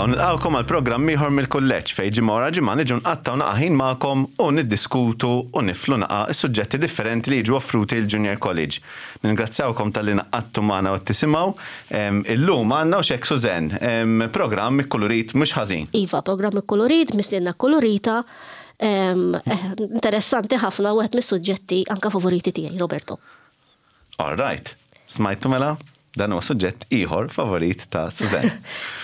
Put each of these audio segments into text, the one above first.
Merħba u nilqgħukom għal programm ieħor mill-Kulleġġ fejn ġimgħa wara ġimgħa niġu nqattgħu naqa' ħin magħkom u niddiskutu u niflu naqa' s-suġġetti differenti li jiġu offruti l-Junior College. Ningrazzjawkom talli ngħaqadtu magħna u qed tisimgħu. Illum għandna u x'hekk Suzanne, programm ikkulurit mhux ħażin. Iva, programm ikkulurit, mistiedna kkulurita, interessanti ħafna u wieħed mis-suġġetti anke favoriti tiegħi, Roberto. All right. Smajtu mela? Dan huwa suġġett ieħor favorit ta' Suzanne.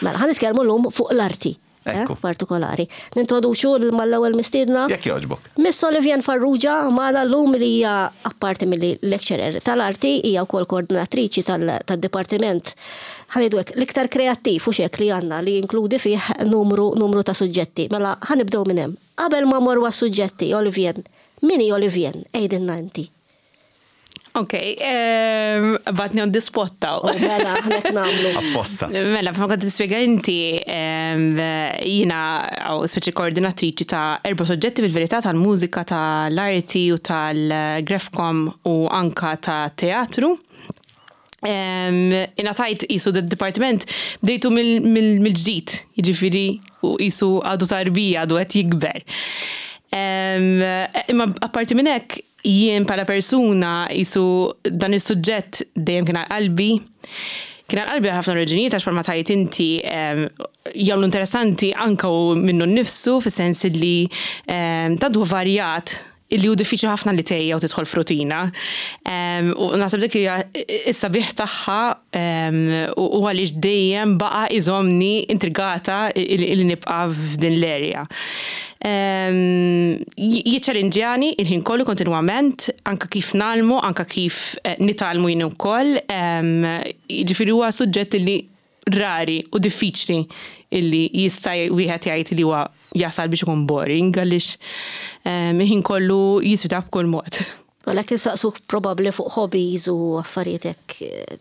Mela, ħa nitkellmu llum fuq l-arti. Eh, partikolari. Nintroduċu mal-ewwel mistiedna. Jekk jogħġbok. Miss Olivian Farrugia magħna llum li hija apparti milli lecturer tal-arti hija wkoll koordinatriċi tad-dipartiment ħanidu hekk l-iktar kreattiv u xek li għandna li jinkludi fih numru numru ta' suġġetti. Mela ħanibdew minn hemm. Qabel ma morru għas-suġġetti, Olivian, min hi Olivian? Għidilna inti. Ok, batni on the spot taw. Oh, mela, aħna namlu. Apposta. Mela, f'ma kont tispjega inti, jina għaw speċi koordinatriċi ta' erba soġġetti fil-verità tal-mużika, tal-arti u tal-grafkom u anka ta' teatru. Ingħatajt qisu d-dipartiment bdejtu mill-ġdid, jiġifieri u qisu għadu tarbija, għadu qed jikber. Imma apparti minn hekk, jien bħala persuna qisu dan is-suġġett dejjem kien għal qalbi. Kien għal qalbi għal ħafna raġunijiet għax bħalma tgħid inti jagħmlu interessanti anke hu minnu nnifsu fis-sens li tant huwa varjat illi hu diffiċli ħafna li tgħejja u tidħol f'rutina. U naħseb dik hija s-sabiħ tagħha u għaliex dejjem baqa' iżommni intrigata li nibqa' f'din l-area. Jiċċalinġjani il-ħin kollu kontinwament, anke kif ngħallmu, anke kif nitgħallmu jien ukoll. Jiġifieri huwa suġġett li rari u diffiċli illi jista' wieħed jgħid li huwa jasal biex ikun boring għaliex il-ħin kollu jisfida b'kull mod. Għalhekk insaqsuk probabbli fuq hobbies u affarijiet hekk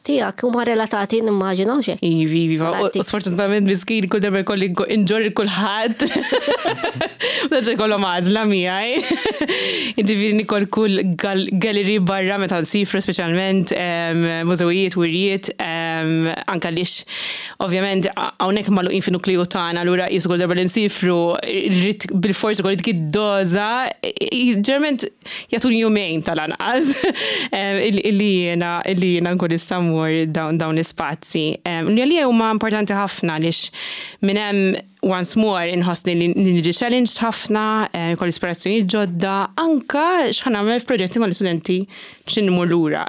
tiegħek huma relatati nimmaġina hux hekk? Iva, iva, u sfortunatament miskin kull darba jkolli nġorr lil kulħadd. U terġa' jkollhom għażla miegħi. Jiġifieri nikol kull gallery barra meta nsifru speċjalment mużewijiet, wirjiet, anke għaliex ovvjament hawnhekk magħluqin fin-nukleu tagħna allura qisu kull darba li nsifru rrid bilfors ikolli dik id-doża. Ġeneralment jagħtuni jumejn tal-anqas illi jiena illi jiena nkun nista' mmur dawn l-ispazji. Li għalija huma importanti ħafna għaliex minn hemm once more inħossni li niġi challenged ħafna, jkolli ispirazzjonijiet ġodda, anke x'ħa nagħmel f'proġetti mal-istudenti x'in immur lura.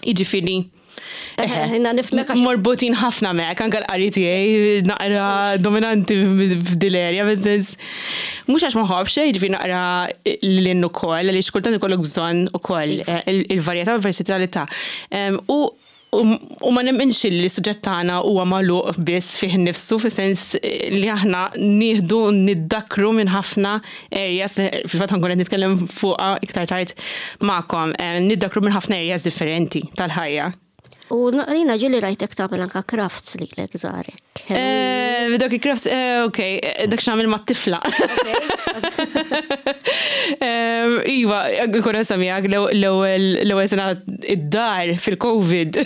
Jiġifieri Jiena nifhmek għax. Morbutin ħafna mek, anke l-qari tiegħi naqra dominanti f'dil-area, fis-sens mhux għax ma nħobbx, jiġifieri naqra lil hinn ukoll, għaliex kultant ikollok bżonn ukoll iva. il-varjetà u l-versatilità. U U ma nemminx li s-suġġett tagħna huwa magħluq biss fih innifsu fis-sens li aħna nieħdu niddakkru minn ħafna areas li fil-fatt ħankun qed nitkellem fuqha iktar tard magħkom, niddakkru minn ħafna areas differenti tal-ħajja. U jiena ġieli rajtek tagħmel anke crafts lilek żgħarek. Dawk il-crafts, ok, dak x'nagħmel mat-tifla. Iva, nkun onesta miegħek, l-ewwel sena id-dar fil-Covid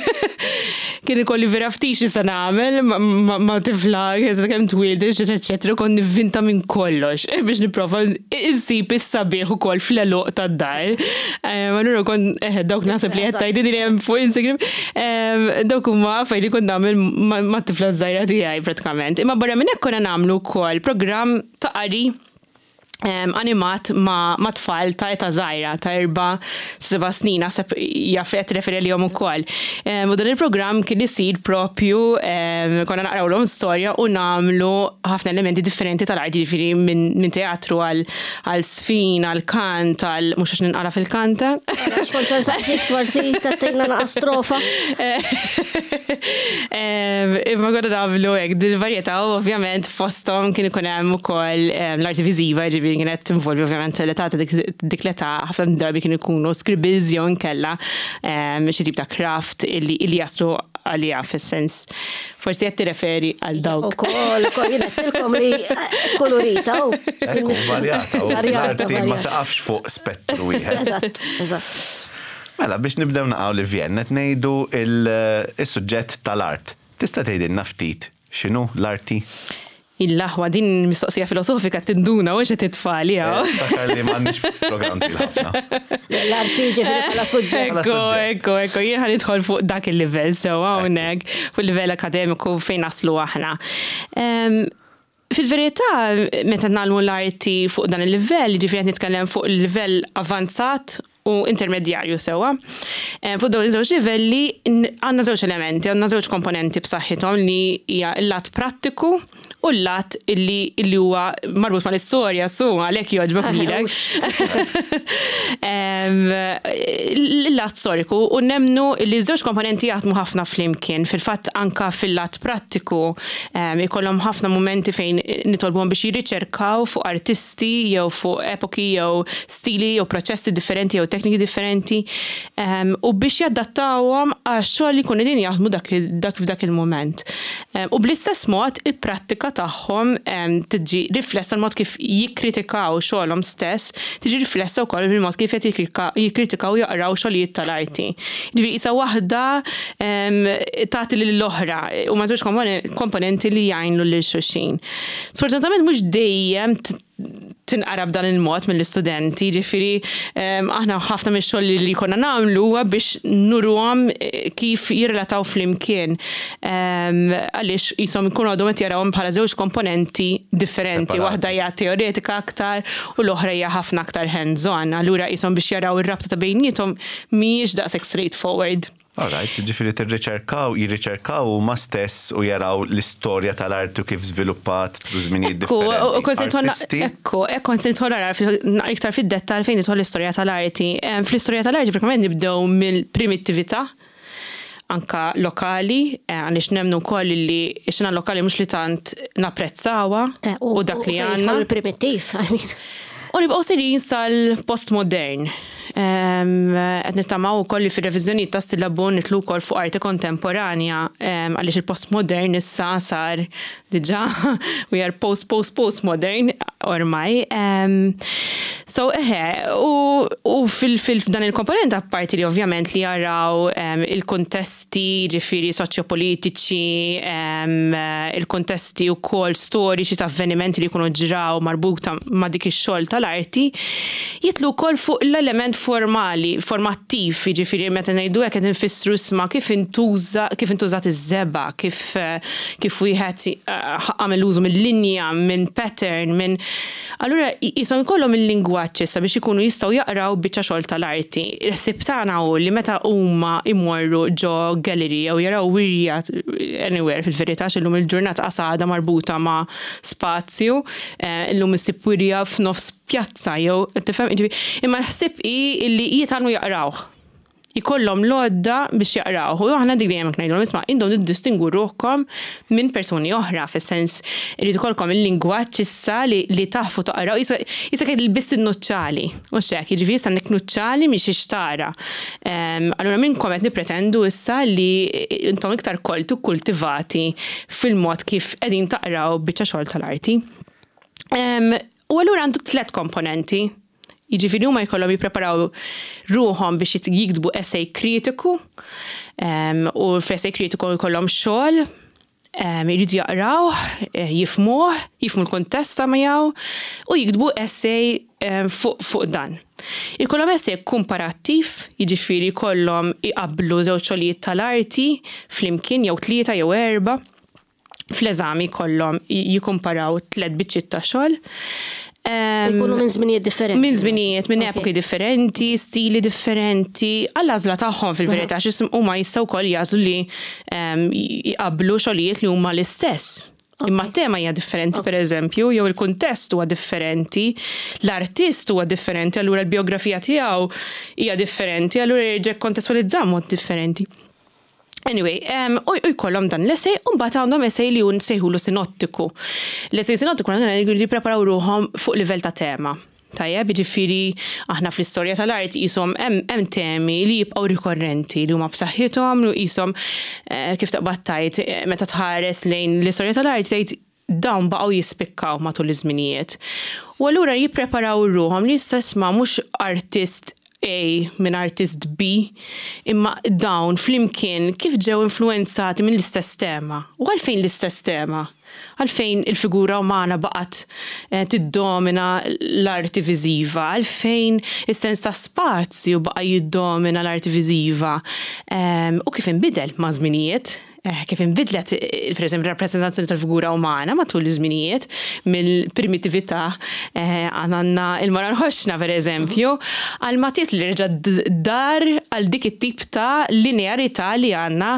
kien ikolli vera ftit x'nista' nagħmel ma' tifla kemm twieldet, eċetera, eċetera, kont nivvinta minn kollox biex nipprova insib is-sabiħ ukoll fl-għeluq tad-dar. Allura kont, eħe, dawk naħseb li qed tgħidili li hemm fuq Instagram, dawk huma affarijiet li kont nagħmel mat-tifla ż-żgħira tiegħi pratikament. Imma barra minn hekk konna nagħmlu wkoll programm ta' qari animat ma' tfal ta' età żgħira, ta' erba' seba' snin, naħseb jaf qed tirreferi għalihom ukoll. U dan il-programm kien isir propju konna naqrawlhom storja u nagħmlu ħafna elementi differenti tal-arti, jiġifieri minn teatru għal żfin, għal kant, għal mhux għax ninqara fil-kant. Għax kont se nsaqsik forsi tagħtina naqa' strofa. Imma konna nagħmlu hekk din il-varjetà u ovvjament fosthom kien ikun hemm ukoll l-arti viżiva, jiġifieri kienet tinvolvi ovvjament l-età ta' dik l-età ħafna drabi kienu jkunu scribbles jew inkella xi tip ta' craft illi jaslu għaliha fis-sens. Forsi qed tirreferi għal dawk. Ukoll, ukoll jien għedtilkom li kolorita u. Ekku, varjata. L-arti ma taqafx fuq spettru wieħed. Eżatt, eżatt. Mela, biex nibdew naqgħu li Vjen, qed ngħidu il-suġġett tal-art. Tista' tgħidilna ftit? x'inhu l-arti? Il-aħwa din mistoqsija filosofika tinduna u xed it-tfal jaw. Takar li m'għandniex programm twil ħafna. L-arti ġifieri bħala suġġett. Ekku, ekku, ekku, jien ħa nidħol fuq dak il-livell sew hawnhekk, fuq il-livell akademiku fejn naslu aħna. Fil-verità, meta nagħmlu l-arti fuq dan il-livell, ġifieri qed nitkellem fuq il-livell avanzat u intermedjarju sewwa. Fuq dawn iż-żewġ livelli għandna żewġ elementi, għandna żewġ komponenti b'saħħithom li hija l-lat prattiku u l-lat illi illi huwa marbut mal-istorja su għalhekk jogħġbok lilek. Il-lat storiku u nemmnu li ż-żewġ komponenti jaħdmu ħafna flimkien. Fil-fatt anka fil-lat prattiku ikollhom ħafna mumenti fejn nitolbuhom biex jirriċerkaw fuq artisti jew fuq epoki jew stili jew proċessi differenti jew tekniki differenti u biex jadattawhom għax-xogħol li jkunu qegħdin jaħdmu dak dak f'dak il-mument. U bl-istess mod il-prattika tagħhom tiġi riflessa l-mod kif jikkritikaw xogħolhom stess, tiġi riflessa wkoll fil-mod kif qed jikkritikaw u jaqraw xogħlijiet tal-arti. Jiġifieri qisha waħda tagħti lill-oħra, huma żewġ komponenti li jgħinu lil xulxin. Sfortunatament mhux dejjem tinqara b'dan il-mod mill-istudenti, ġifieri aħna ħafna mix-xogħol li jkollna nagħmlu huwa biex nuruhom kif jirrelataw flimkien. Għaliex qishom ikunu għadhom qed jarawhom bħala żewġ komponenti differenti, waħda hija teoretika aktar u l-oħra hija ħafna aktar hands-on. Allura qishom biex jaraw ir-rabta ta' bejniethom mhijiex daqshekk straightforward. All right, ġifieri tirriċerkaw, jirriċerkaw huma stess u jaraw l-istorja tal-arti u kif żviluppat through żminijiet differenti. Ekku, ekku, kont se nidħol ara iktar fid-dettall fejn nidħol l-istorja tal-arti. Fl-istorja tal-arti pratikament nibdew mill-primittività anka lokali, għaliex nemmnu wkoll li x-xena lokali mhux li tant napprezzawha u dak li għandna. Il-primittiv, I mean. U nibqgħu sejrin sal-postmodern. Qed nittamaw ukoll li fir-reviżjonijiet tas-sillabu nidħlu wkoll fuq arti kontemporanja għaliex il-postmodern issa sar diġà we are post post postmodern ormai. So eħe, u fil-dan il-komponent apparti li ovvjament li jaraw il-kuntesti ġifieri soċjopolitiċi, il-kuntesti wkoll storiċi ta' avvenimenti li jkunu ġraw marbuta ma' dik ix-xogħol tal-arti, jidħlu wkoll fuq l-element formali, formattiv, jiġifieri meta ngħidu hekk qed infissru isma' kif intuża, kif intużat iż-żebgħa, kif kif wieħed għamel użu mill-linja, minn pattern, minn Allura qishom ikollhom il-lingwaġġ issa biex ikunu jistgħu jaqraw biċċa xogħol tal-arti. Il-ħsieb tagħna hu li meta huma jmorru ġo gallery jew jaraw wirja anywhere fil-verità għax illum il-ġurnata qas għadha marbuta ma' spazju, illum issib wirja f'nofs pjazza jew tifhem, jiġifieri imma l-ħsieb hi li jitgħallmu jaqrawh. Ikollhom l-għodda biex jaqrawh. U aħna dik dejjem hekk ngħidulhom, isma' intom tiddistingwu ruħkom minn persuni oħra, fis-sens irid ikollkom il-lingwaġġ issa li li tafu taqraw, qisek qed ilbist in-nuċċali, hux hekk, jiġifieri issa għandek nuċċali minn xiex tara. Allura minnkom qed nippretendu issa li intom iktar kolti u kkultivati fil-mod kif qegħdin taqraw biċċa xogħol tal-arti. U allura għandu tlett komponenti. Jiġifieri huma jkollhom jippreparaw ruħhom biex jiktbu essay kritiku u f'essay kritiku jkollhom xogħol jridu jaqrawh, jifhmuh, jifhmu l-kuntest ta' miegħu u jiktbu essay fuq fuq dan. Ikollhom essay kumparattiv, jiġifieri jkollhom iqabblu żewġ xogħlijiet tal-arti flimkien jew tlieta jew erbgħa. Fl-eżami jkollhom jikkumparaw tlett biċċiet ta' xogħol. Jkunu minn żminijiet differenti. Minn żminijiet, minn epoki differenti, stili differenti, għall-għażla tagħhom fil-verità, għax huma jistgħu wkoll jagħżlu li jqabblu xogħlijiet li huma l-istess. Imma t-tema hija differenti, per eżempju, jew il-kuntest huwa differenti, l-artist huwa differenti, allura l-bijografija tiegħu hija differenti, allura jerġa' jikkontestwalizza mod differenti. Anyway, u jkollhom dan l-essay, u mbagħad għandhom essay li hu nsejħulu sinottiku. L-essay sinottiku jridu jippreparaw ruħhom fuq livell ta' tema. Tajjeb, jiġifieri aħna fl-istorja tal-arti qishom hemm temi li jibqgħu rikorrenti, li huma b'saħħithom, li qishom kif taqbad tgħid meta tħares lejn l-istorja tal-arti tgħid dawn baqgħu jispikkaw matul iż-żminijiet. U allura jippreparaw ruħhom li issa isma' mhux artist A minn artist B, imma dawn flimkien kif ġew influwenzati mill-istess tema? U għalfejn l-istess tema? Għalfejn il-figura umana baqgħet tiddomina l-arti viżiva? Għalfejn is-sens ta' spazju baqa' jiddomina l-arti viżiva? U kif inbidel maż-żminijiet? Kif inbidlet, pereżempju, r-rappreżentazzjoni tal-figura umana matul iż-żminijiet, mill-primitività għandna il-mara l-ħoxna, pereżempju, għal Matisse li reġa' dar għal dik it-tip ta' linearità li għandna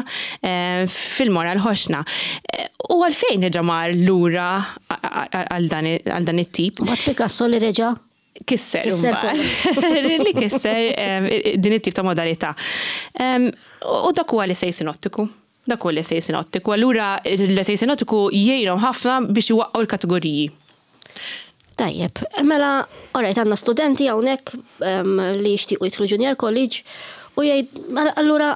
fil-mara l-ħoxna. U għalfejn reġa' mar lura għal dan it-tip? Mbagħad Picasso li reġa' kisser. Li kisser din it-tip ta' modalità. U dak huwa l-essay sinottiku. Dak huwa l-essay sinottiku. Allura l-essay sinottiku jgħinhom ħafna biex iwaqqgħu l-kategoriji. Tajjeb, mela, alright, għandna studenti hawnhekk li jixtiequ jidħlu Junior College u jgħid, mela, allura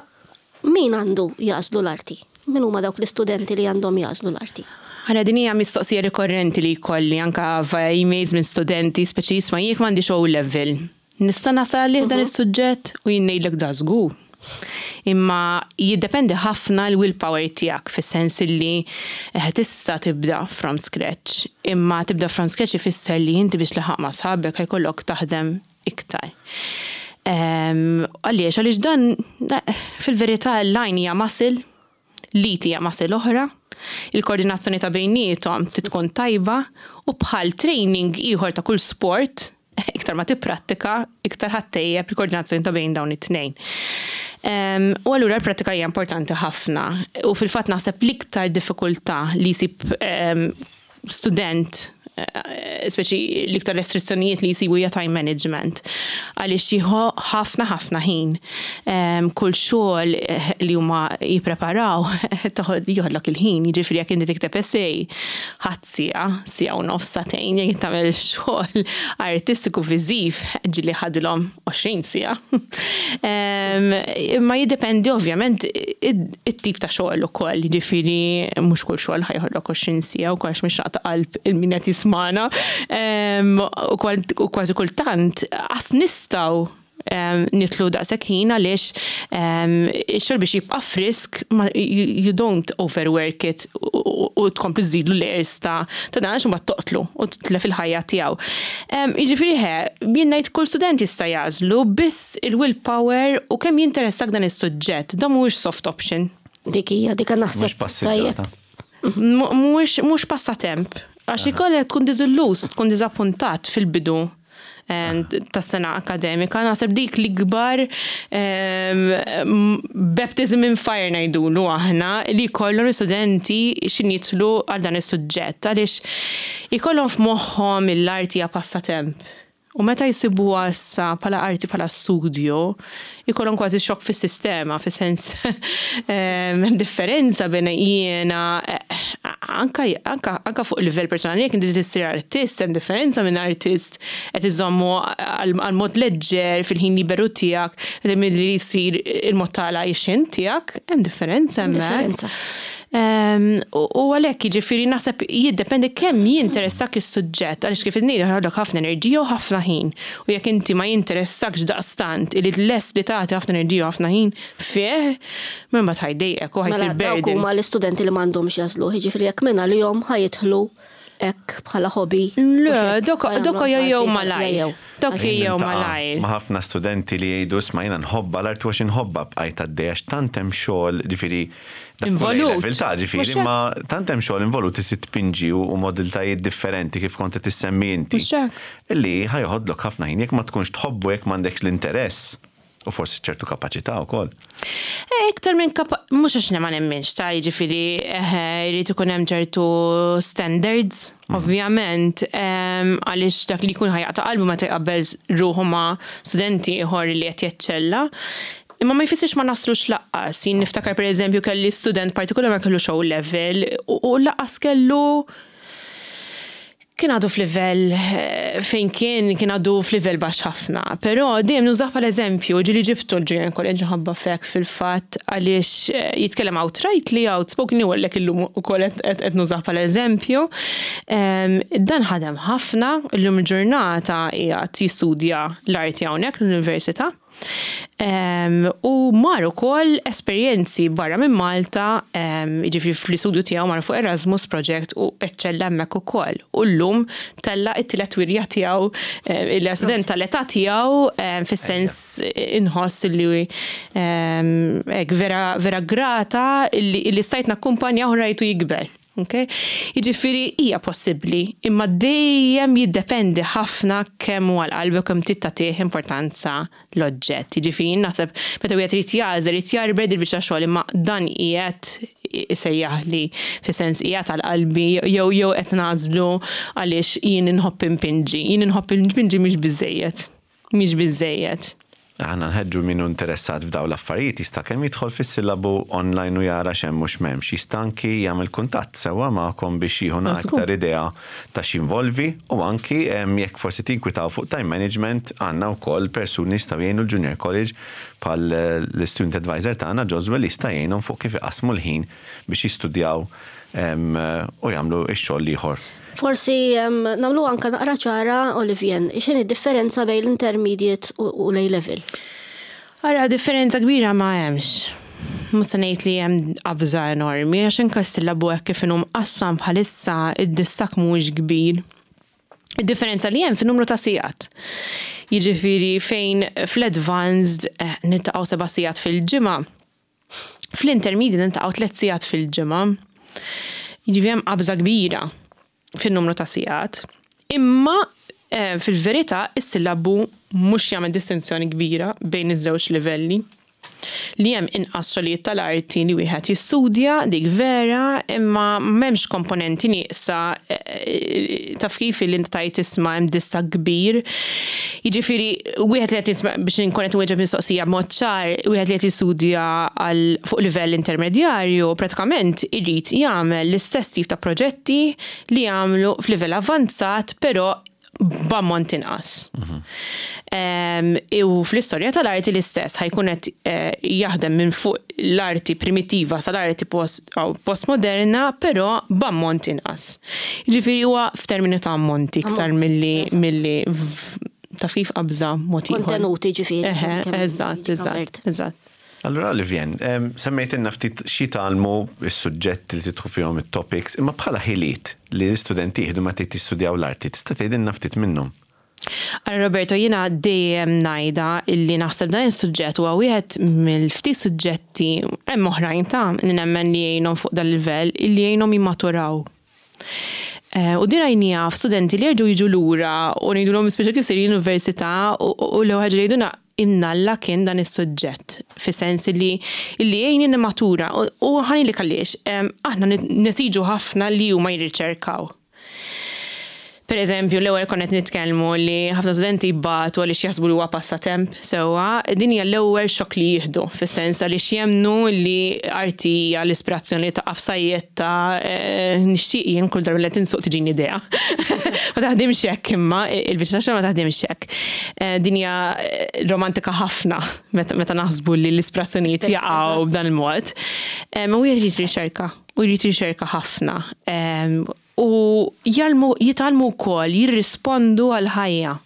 min għandu jagħżlu l-arti? Min huma dawk l-istudenti li għandhom jagħżlu l-arti? Ara din hija mistoqsija rikorrenti li jkolli anka via emails minn studenti, speċi jisma' jekk m'għandix O level, nista' nasal għalih dan is-suġġett? U jien ngħidlek da żgur. Imma jiddependi ħafna l-willpower tiegħek fis-sens illi eh, tista' tibda from scratch. Imma tibda from scratch ifisser li inti biex tlaħħaq ma' sħabek ħa jkollok taħdem iktar. Għaliex? Għaliex dan fil-verità l-line hija muscle, l-id hija muscle oħra, il-koordinazzjoni ta' bejniethom trid tkun tajba u bħal training ieħor ta' kull sport, iktar ma tipprattika, iktar ħa ttejjeb il-koordinazzjoni ta' bejn dawn it-tnejn. U allura l-prattika hija importanti ħafna. U fil-fatt naħseb l-iktar diffikultà li jsib student eh, speċi l-iktar restrizzjonijiet li jsibu hija time management. Għaliex jieħu ħafna ħafna ħin. Kull xogħol eh, li huma jippreparaw joħodlok il-ħin, jiġifieri jekk inti tikteb essay ħadd siegħa, siegħa u nofs sagħtejn, jekk tagħmel xogħol artistiku viżiv ġieli ħadilhom 20 siegħa. Imma jiddependi ovvjament it-tip ta' xogħol ukoll, jiġifieri mhux kull xogħol ħa joħodlok 20 siegħa wkoll għax mhix naqta' qalb il-min qed jismagħna. U kważi kultant qas nistgħu nidħlu daqshekk ħin għaliex ix-xogħol biex jibqa' frisk you don't overwork it u tkompli żżidlu layers ta' dan għax imbagħad toqtlu u titlef il-ħajja tiegħu. Jiġifieri ħe, jien ngħid kull student jista' jagħżlu biss il-willpower u kemm jinteressak dan is-suġġett. Dan mhuwiex soft option. Dik hija, dik naħseb. Mhux passiġġata. Mhuwiex passatemp. Għax ikollek tkun diżilluż, tkun diżappuntat fil-bidu tas-sena akademika. Naħseb dik l-ikbar baptism in fire ngħidulu aħna li jkollhom l-istudenti x'in jidħlu għal dan is-suġġett għaliex ikollhom f'moħħhom l-arti hija passatemp. U meta jsibuha issa bħala arti bħala studju, ikollhom kważi xokk fis-sistema, fis-sens hemm differenza bejn jiena anka anka anka fuq livell personali jekk inti tissir artist hemm differenza minn artist qed iżommu għal mod leġġer fil-ħin liberu tiegħek milli jsir il-mod tal-għajxien tiegħek, hemm differenza hemmhekk. U għalhekk jiġifieri naħseb jiddependi kemm jinteressak is-suġġett għaliex kif ngħidu jħollok ħafna enerġija u ħafna ħin. U jekk inti ma jinteressakx daqstant li lest li tagħti ħafna enerġija u ħafna ħin fih, mela mbagħad ħa jdejqek u ħa jsir Mela dawk burden. huma l-istudenti li m'għandhomx jagħżluh, jiġifieri jekk minn għalihom ħa jidħlu hekk bħala hobby. Le, dawk dawk jgħejjew malajr. Dawk jgħejjew malajr. Ma' ħafna studenti li jgħidu isma' jiena nħobbha l-arti għax inħobbha bqajt għaddej għax tant hemm xogħol ġifieri Involut. Ta' ġifieri imma tant hemm xogħol involut li tpinġi u modalitajiet differenti kif kont qed issemmi inti. Li ħa joħodlok ħafna ħin jekk ma tkunx tħobbu jekk m'għandekx l-interess. U forsi ċertu kapaċità wkoll. Eh, iktar minn kapa, mhux għax ma nemminx ta' jiġifieri eh, jrid ikun hemm ċertu standards, ovvjament, għaliex dak li jkun ħa jaqta' qalbu meta jqabbel ruħu ma' studenti ieħor li qed jeċċella. Imma ma jfissirx ma naslux laqqas. Jien niftakar pereżempju kelli student partikolari ma kellux O level u laqqas kellu kien għadu f'livell eh, fejn kien kien għadu f'livell baxx ħafna. Però dejjem nużah bħala eżempju, ġieli ġibtu l-Junior College ħabba fek fil-fatt għaliex eh, jitkellem outrightly, outspoken, u għallek illum ukoll qed nużah bħala eżempju. Dan ħadem ħafna, illum il-ġurnata qiegħed jistudja l-arti hawnhekk l-università. U mar ukoll esperjenzi barra minn Malta, jiġifieri fl-istudju tiegħu mar fuq Erasmus Project u eċċella hemmhekk ukoll. U llum tella' t-tielet wirja tiegħu illi student tal-età tiegħu fis-sens inħoss li hekk vera vera grata illi stajt nakkumpanjah u rajtu jikber. Okay? Jiġifieri hija possibbli, imma dejjem jiddependi ħafna kemm huwa għal qalbek kemm trid tagħtih importanza l-oġġett. Jiġifieri jien naħseb meta wieħed irid jagħżel irid jarbed il-biċċa xogħol imma dan qiegħed isejjaħli fis-sens qiegħed għal qalbi jew jew qed nagħżlu għaliex jien inħobb inpinġi. Jien inħobb inpinġi mhix biżżejjed. Mhix biżżejjed. Aħna nħeġġu min hu interessat f'dawn l-affarijiet jista' kemm jidħol fis-sillabu online u jara x'hemm u x'm'hemmx. Jista' anki jagħmel kuntatt sewwa magħkom biex jieħu naqra iktar idea ta' x'jinvolvi u anki jekk forsi tinkwitaw fuq time management għandna wkoll persuni li jistgħu jgħinu l-Junior College bħal l-istudent advisor tagħna Joswell jista' jgħinhom fuq kif iqassmu l-ħin biex jistudjaw u jagħmlu x-xogħol l-ieħor. Forsi nagħmlu anke naqra ċara, Olivien, x'inhi d-differenza bejn l-intermediate u l-A level? Ara, differenza kbira ma hemmx. Mhux se ngħid li hemm qabża enormi, għax anke s-sillabu hekk kif inhu mqassam bħalissa id-distakk mhuwiex kbir. Id-differenza li hemm fin-numru ta' sigħat. Jiġifieri fejn fl-advanced niltaqgħu seba' sigħat fil-ġimgħa, Fl-intermediate niltaqgħu tlett sigħat fil-ġimgħa. Jiġifieri hemm qabża kbira fin-numru ta' sigħat. Imma eh, fil-verità is-sillabu mhux jagħmel distinzjoni kbira bejn iż-żewġ livelli. Li hemm inqas xogħlijiet tal-arti li wieħed jistudja dik vera, imma m'hemmx komponenti nieqsa eh, taf kif li inti tgħid isma' hemm distakk kbir. Jiġifieri, wieħed li qed jisma' biex inkun qed inwieġeb mistoqsija b'mod ċar, wieħed li qed jistudja għal fuq livell intermedjarju pratikament irid jagħmel l-istess tip ta' proġetti li jagħmlu f'livell avvanzat però b'ammont inqas. U fl-istorja tal-arti l-istess ħa jkun qed jaħdem minn fuq l-arti primittiva sal-arti postmoderna però b'ammont inqas. Jiġifieri huwa f'termini ta' ammonti iktar milli milli taf kif qabża mod ieħor. Kontenuti ġifieri. Eħe, eżatt, eżatt, eżatt. Allura Olivien, semmejtilna ftit x'jitgħallmu s-suġġetti li tidħlu fihom it-topics, imma bħala ħiliet li l-istudenti jieħdu meta jistudjaw l-arti, tista' tgħidilna ftit minnhom? Ara Roberto, jiena dejjem ngħidha illi naħseb dan is-suġġett huwa wieħed mill-ftit suġġetti, hemm oħrajn ta' li nemmen li jgħinhom fuq dal-livell, illi jgħinhom jimmaturaw. U din rajniha f'studenti li jerġgħu jiġu lura u ngħidulhom speċa kif sejrin l-università u l-ewwel ħaġa li jgħidulna imnalla kien dan is-suġġett, fis-sens illi illi jgħinni nimmatura u ħa ngħidlek għaliex, aħna nesiġu ħafna li huma jirriċerkaw. Per eżempju, l-ewwel konna qed nitkellmu li ħafna studenti jbatu għaliex jaħsbu li huwa passatemp sewwa, din hija l-ewwel xokk li jieħdu, fis-sens għaliex jemmnu li arti hija l-ispirazzjoni li taqa' f'sajjetta nixtieq jien kull darba li qed insuq tiġini idea. Ma taħdimx hekk imma, il-biċċa tax-xogħol ma taħdimx hekk. Din hija romantika ħafna meta naħsbu li l-ispirazzjonijiet jaqgħu b'dan il-mod. U wieħed irid riċerka, u jrid riċerka ħafna. U jgħallmu, jitgħallmu wkoll jirrispondu għall-ħajja.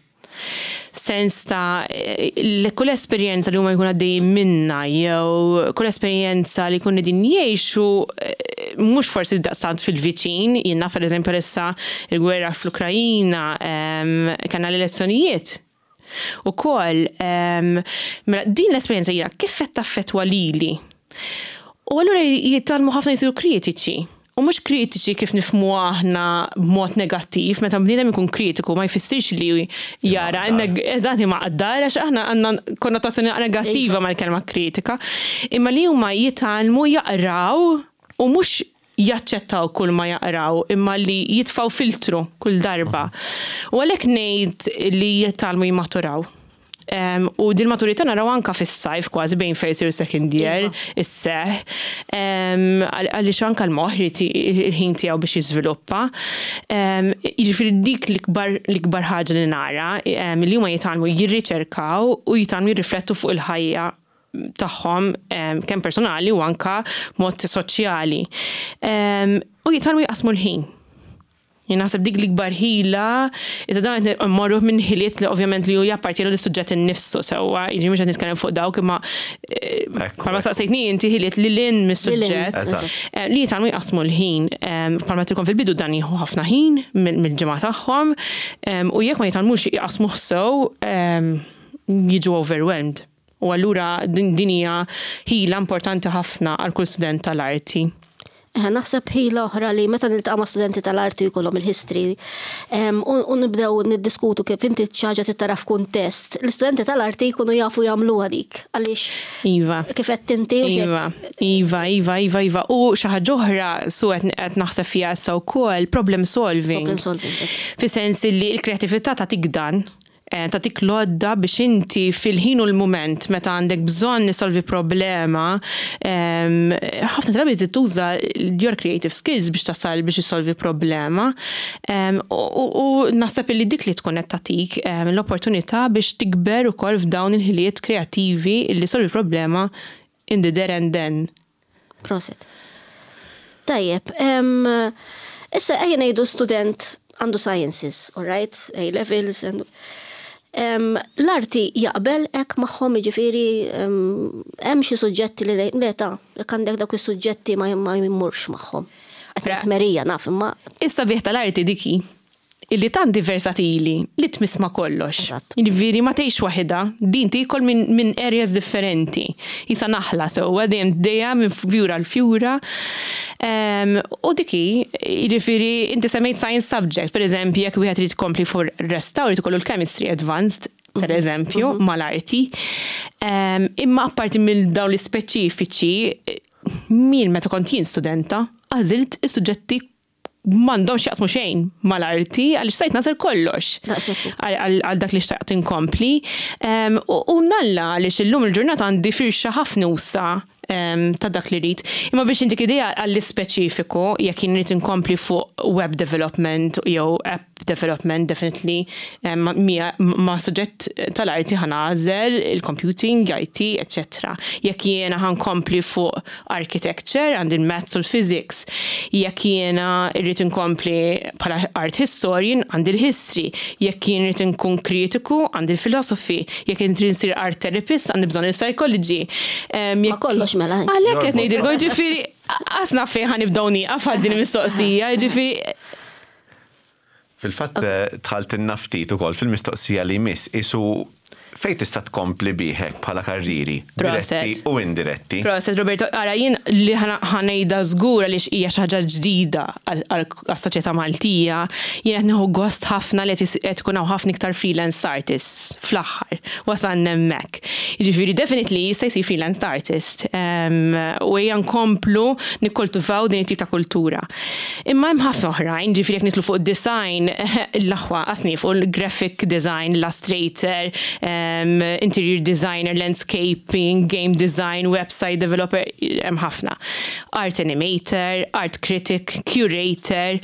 F'sens ta' li kull esperjenza li huma jkunu għaddejjin minnha jew kull esperjenza li jkunu qegħdin jgħixu mhux forsi daqstant fil-viċin, jien naf pereżempju għalissa l-gwerra fl-Ukrajina, kellna l-elezzjonijiet ukoll. Mela din l-esperjenza jiena kif qed taffettwa lili? U allura jitgħallmu ħafna jsiru kritiċi. U mhux kritiċi kif nifhmuha aħna b'mod negattiv, meta bniedem ikun kritiku ma jfissirx li jara eżatt imaqdar għax aħna għandna konnotazzjoni negattiva mal-kelma kritika, imma li huma jitgħallmu jaqraw u mhux jaċċettaw kull ma jaqraw imma li jitfgħu filtru kull darba. U għalhekk ngħid li jitgħallmu jimmaturaw. U din maturità naraw anka fis-sajf kważi bejn first year u second year isseħ. Għaliex anka l-moħħ irid il-ħin tiegħu biex jiżviluppa. Jiġifieri dik l-ikbar ħaġa li nara li huma jitgħallmu jirriċerkaw u jitgħallmu jirriflettu fuq il-ħajja tagħhom kemm personali u anka mod soċjali. U jitgħallmu jqassmu l-ħin. Jien naħseb dik l-ikbar ħila, iżda dan qed mmorru minn ħiliet li ovvjament li hu jappartjenu lis-suġġett innifsu sewwa, jiġifieri mhux qed nitkellem fuq dawk imma bħalma saqsejtni inti ħiliet lil hinn mis-suġġett li jitgħallmu jqassmu l-ħin. Bħalma għedtilkom fil-bidu dan jieħu ħafna ħin mill-ġimgħa tagħhom u jekk ma jitgħallmux jqassmuh sew jiġu overwhelmed. U allura din hija ħila importanti ħafna għal kull student tal-arti. Eħe, naħseb ħila oħra li meta niltaqa' ma' studenti tal-arti u jkollhom il-history u nibdew niddiskutu kif inti xi ħaġa trid tara f'kuntest, l-istudenti tal-arti jkunu jafu jagħmluha dik għaliex Iva. kif għedt inti u Iva, iva, iva, iva, iva. U xi ħaġa oħra su qed naħseb fiha issa wkoll, problem solving. Problem solving. Fis-sens li l-kreattività tagħtik dan. Tagħtik l-għodda biex inti fil-ħin u l-mument meta għandek bżonn issolvi problema, ħafna drabi trid tuża your creative skills biex tasal biex issolvi problema. U naħseb illi dik li tkun qed tagħtik l-opportunità biex tikber ukoll f'dawn il-ħiliet kreattivi illi ssolvi problema in the there and then. Proset. Tajjeb, issa ejja ngħidu student għandu sciences, all right, A levels, and l-arti jaqbel hekk magħhom jiġifieri hemm xi suġġetti li le ta' jekk għandek dawk is-suġġetti ma jmurx magħhom. Qed ngħid merija naf imma. Is-sabiħ tal-arti dik hi. Illi tant hi versatili li tmiss ma' kollox. Jiġifieri ma tgħix waħidha, din tiekol minn min areas differenti. Qisha naħla sewwa dejjem dejja minn fjura għal fjura. U dik hi, jiġifieri inti semmejt science subject, pereżempju jekk wieħed irid ikompli fuq restawr irid ikollu l-chemistry advanced, pereżempju, mal-arti. Imma apparti minn dawn l-ispeċifiċi, min meta kont jien studenta, għażilt is-suġġetti m'għandhomx jaqsmu xejn mal-arti għaliex stajt nagħżel kollox. Għal dak li xtaqt inkompli. U mnalla għaliex illum il-ġurnata għandi firxa ħafna usa ta' dak li rrid. Imma biex intik idea għall-ispeċifiku, jekk jien rrid inkompli fuq web development jew app development definitely ma' suġġett tal-arti ħa nagħżel il-computing, IT, eċċetera. Jekk jiena ħa nkompli fuq architecture, għandi l-maths u l-physics. Jekk jiena rrid inkompli bħala art historian, għandi l-history. Jekk jien rrid inkun kritiku, għandi l-philosophy. Jekk jien rrid insir art therapist, għandi bżonn il-psychology. Ma kollox mela. Għalhekk qed ngħidilkom, jiġifieri, qas naf fejn ħa nibdew nieqaf għal din il-mistoqsija, jiġifieri. Fil-fatt dħaltilna ftit ukoll fil-mistoqsija li jmiss, qisu fejn tista' tkompli bih hekk bħala karrieri, diretti u indiretti? Proset Roberto, ara jien li ħa ngħidha żgur għaliex hija xi ħaġa ġdida għas-soċjetà Maltija, jien qed nieħu gost ħafna li qed ikun hawn ħafna iktar freelance artists fl-aħħar, wasalna hemmhekk. Jiġifieri definitely jista' jsir freelance artist u ejja nkomplu nikkultivaw din it-tip ta' kultura. Imma hemm ħafna oħrajn, ġifieri jekk nidħlu fuq id-design, l-aħwa qas nieqfu, graphic design, illustrator, interior designer, landscaping, game design, website developer, hemm ħafna. Art animator, art critic, curator,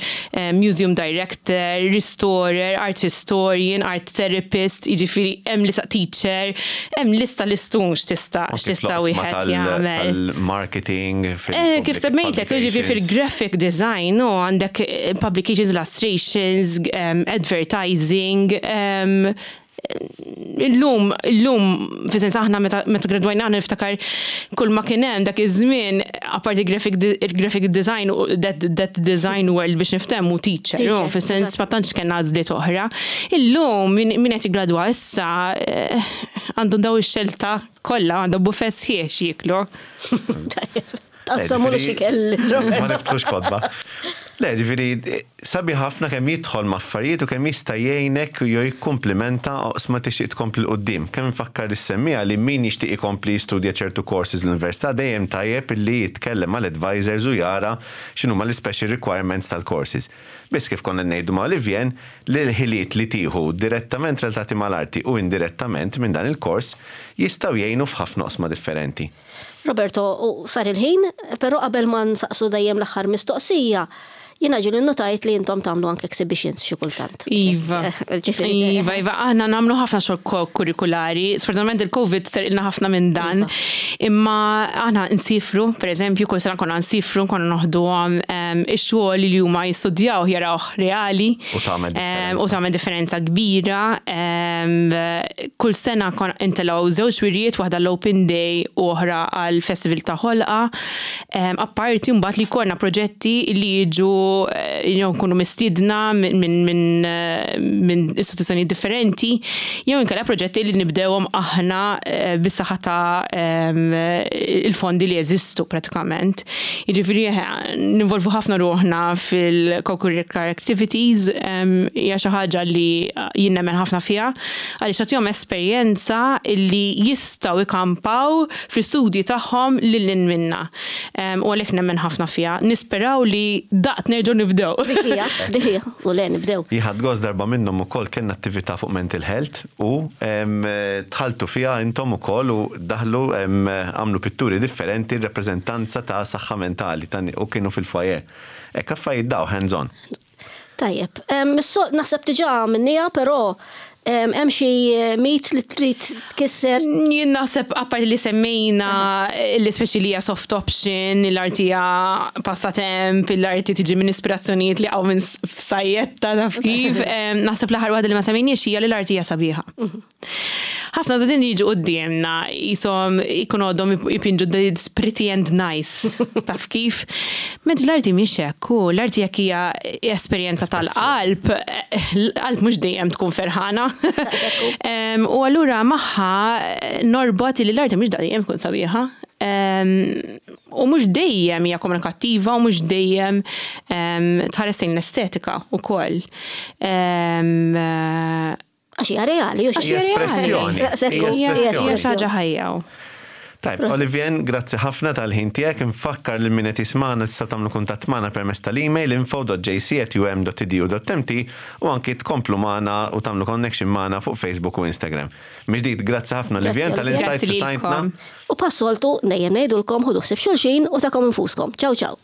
museum director, restorer, art historian, art therapist, jiġifieri hemm lista teacher, hemm lista listun x'tista' x'tista' wieħed jagħmel. Tal-marketing, Eh, kif semmejtlek, jiġifieri fil-graphic design, u għandek publications, illustrations, advertising, illum, illum, fi sens aħna meta gradwajna aħna niftakar kull ma kien hemm dak iż-żmien, apparti graphic, graphic design, that, that design world biex niftehmu teacher, teacher fi sens ma tantx kellna għażliet oħra. Illum min qed jiggradwa issa eh, għandhom daw ix-xelta kollha għandhom buffet sħiħ x'jieklu. Taqsamulu xi kell. Ma niftħux kotba. Le, ġifieri, sabi ħafna kemm jidħol ma' affarijiet u kemm jista' jgħinek jew jikkumplimenta oqsma tixtieq tkompli 'l quddiem. Kemm infakkar lis-semmiegħa li min jixtieq ikompli jistudja ċertu courses l-università dejjem tajjeb illi jitkellem mal-advisors u jara x'inhuma l-ispecial requirements tal-courses. Biss kif konna qed ngħidu ma' Olivier, li l-ħiliet li tieħu direttament relatati mal-arti u indirettament minn dan il-kors jistgħu jgħinu f'ħafna oqsma differenti. Roberto, u sar il-ħin, però qabel ma nsaqsu dejjem l-aħħar mistoqsija, Jiena ġieli nnotajt li intom tagħmlu anke exhibitions xi kultant. Iva. Ġifieri. Iva, iva, aħna nagħmlu ħafna xogħol kurrikulari. Sfortunatament il-Covid serqilna ħafna minn dan. Iva. Imma aħna nsifru, per eżempju, kull sena konna nsifru, konna noħduhom ix-xogħol li huma jistudjaw jarawh reali. U tagħmel differenza. U tagħmel differenza kbira. Kull sena konna intelgħu żewġ wirjiet, waħda l-Open Day u oħra għal Festival ta' Ħolqa. Apparti mbagħad li jkollna proġetti li jiġu jew nkunu mistiedna minn istituzzjoni differenti, jew inkella proġetti li nibdewhom aħna bis-saħħa ta' il-fondi li jeżistu pratikament. Jiġifieri ninvolvu ħafna ruħna fil-co-curricular activities, hija xi ħaġa li jien nemmen ħafna fiha, għaliex tagħtihom esperjenza li jistgħu ikampaw fl-istudji tagħhom lil hinn minna. U għalhekk nemmen ħafna fiha. Nisperaw li daqt nerġgħu nibdew. Dik hija, dik hija, u le nibdew. Jien ħadt gost darba minnhom ukoll kellna attività fuq mental health u dħaltu fiha intom ukoll u daħlu għamlu pitturi differenti rappreżentanza ta' saħħa mentali u kienu fil-foyer. Hekk affarijiet daw hands on. Tajjeb, naħseb diġà għamilniha, però hemm xi mit li trid tkisser? Jien naħseb apparti li semmejna l-ispeċi li hija soft option, l-arti hija passatemp, l-arti tiġi minn ispirazzjonijiet li hawn minn sajjetta taf kif. Naħseb l-aħħar waħda li ma semmejniex hija li l-arti hija sabiħa. Ħafna żgħażagħ jiġu quddiemna jisom ikun għodhom jpinġu it's pretty and nice. Taf kif? Mentri l-arti mhix hekk, u l-arti jekk hija esperjenza tal-qalb, l-qalb mhux dejjem tkun ferħana. U allura magħha norbot li l-arti mhux dejjem tkun sabiħa. U mhux dejjem hija komunikattiva u mhux dejjem tħares lejn l-estetika wkoll. Għax hija reali, Għax hija espressjoni. Hija xi ħaġa ħajja. Tajb, Olivien, grazzi ħafna tal-ħin tiegħek. Infakkar lil min qed jismagħna tista' tagħmlu kuntatt magħna permezz tal-email info.jc@um.edu.mt u anki tkomplu magħna u tagħmlu connection magħna fuq Facebook u Instagram. Mill-ġdid, grazzi ħafna Olivien tal-insights li tajtna. U bħas-soltu dejjem ngħidulkom ħudu ħsieb xulxin u tagħkom infuskom. Ciao ciao.